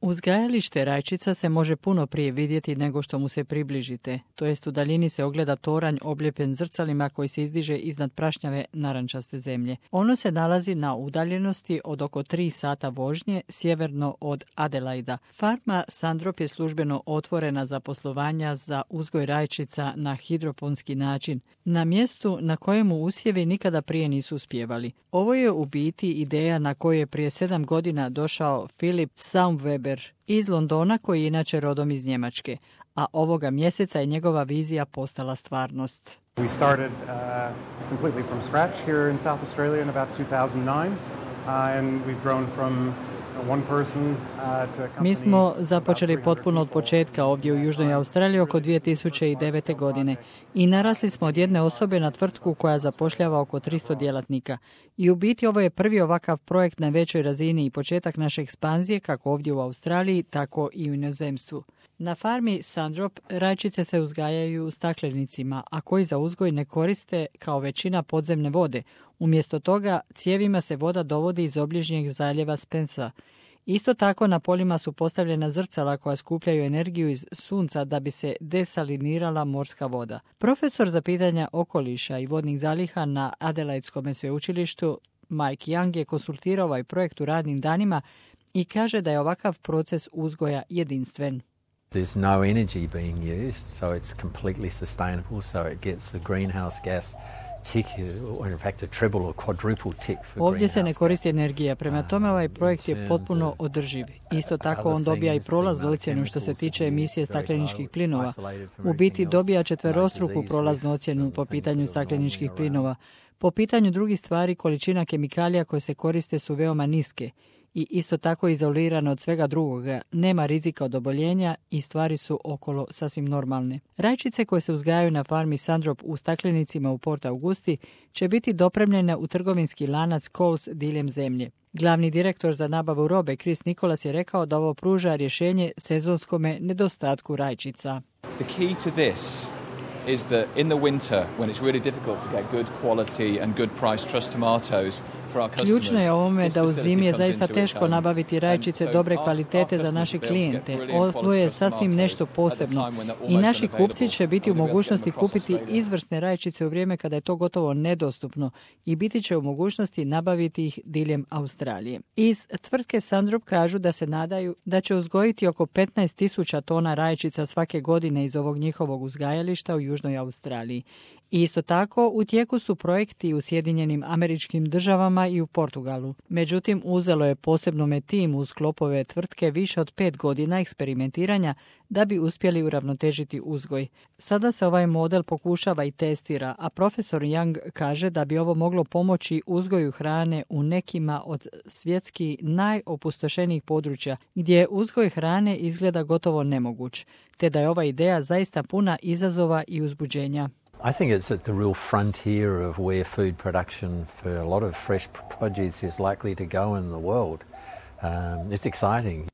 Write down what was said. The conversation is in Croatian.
Uzgajalište rajčica se može puno prije vidjeti nego što mu se približite, to jest u daljini se ogleda toranj obljepen zrcalima koji se izdiže iznad prašnjave narančaste zemlje. Ono se nalazi na udaljenosti od oko 3 sata vožnje sjeverno od Adelaida. Farma Sandrop je službeno otvorena za poslovanja za uzgoj rajčica na hidroponski način, na mjestu na kojemu usjevi nikada prije nisu uspijevali. Ovo je u biti ideja na koju je prije 7 godina došao Philip Saumweber iz Londona, koji je inače rodom iz Njemačke, a ovoga mjeseca je njegova vizija postala stvarnost. We started completely from scratch here in South Australia in about 2009 and we've grown from one person to a company. Mi smo započeli potpuno od početka ovdje u Južnoj Australiji oko 2009. godine i narasli smo od jedne osobe na tvrtku koja zapošljava oko 300 djelatnika. I u biti ovo je prvi ovakav projekt na većoj razini i početak naše ekspanzije kako ovdje u Australiji, tako i u inozemstvu. Na farmi Sandrop rajčice se uzgajaju u staklenicima, a koji za uzgoj ne koriste kao većina podzemne vode. Umjesto toga cijevima se voda dovodi iz obližnjeg zaljeva Spensa. Isto tako na poljima su postavljena zrcala koja skupljaju energiju iz sunca da bi se desalinirala morska voda. Profesor za pitanja okoliša i vodnih zaliha na Adelaidskom sveučilištu Mike Young je konsultirao ovaj projekt u radnim danima i kaže da je ovakav proces uzgoja jedinstven. There's no energy being used, so it's completely sustainable, so it gets the greenhouse gas tick, or in fact a treble or quadruple tick for Ovdje se ne greenhouse koristi gas. energija, prema tome ovaj projekt je potpuno održiv. Isto tako on dobija i prolaznu ocjenu što se tiče emisije stakleničkih plinova. U biti dobija četverostruku prolaznu ocjenu po pitanju stakleničkih plinova. Po pitanju drugih stvari, količina kemikalija koje se koriste su veoma niske i isto tako izolirano od svega drugoga, nema rizika od oboljenja i stvari su okolo sasvim normalne. Rajčice koje se uzgajaju na farmi Sandrop u staklenicima u Port Augusti će biti dopremljene u trgovinski lanac Coles diljem zemlje. Glavni direktor za nabavu robe Chris Nicholas je rekao da ovo pruža rješenje sezonskome nedostatku rajčica. The key to this is that in the winter, when it's really difficult to get good quality and good price trust tomatoes for our customers. Ključno je ovome da u zimi je zaista teško nabaviti rajčice dobre kvalitete za naše klijente. Ovo je sasvim nešto posebno i naši kupci će biti u mogućnosti kupiti izvrsne rajčice u vrijeme kada je to gotovo nedostupno i biti će u mogućnosti nabaviti ih diljem Australije. Iz tvrtke Sandrop kažu da se nadaju da će uzgojiti oko 15.000 tona rajčica svake godine iz ovog njihovog uzgajališta u Južnoj Australiji. I isto tako u tijeku su projekti u Sjedinjenim Američkim Državama i u Portugalu. Međutim, uzelo je posebnome tim u sklopove tvrtke više od 5 godina eksperimentiranja da bi uspjeli uravnotežiti uzgoj. Sada se ovaj model pokušava i testira, a profesor Young kaže da bi ovo moglo pomoći uzgoju hrane u nekima od svjetski najopustošenijih područja, gdje uzgoj hrane izgleda gotovo nemoguć, te da je ova ideja zaista puna izazova i uzbuđenja. I think it's at the real frontier of where food production for a lot of fresh produce is likely to go in the world. It's exciting.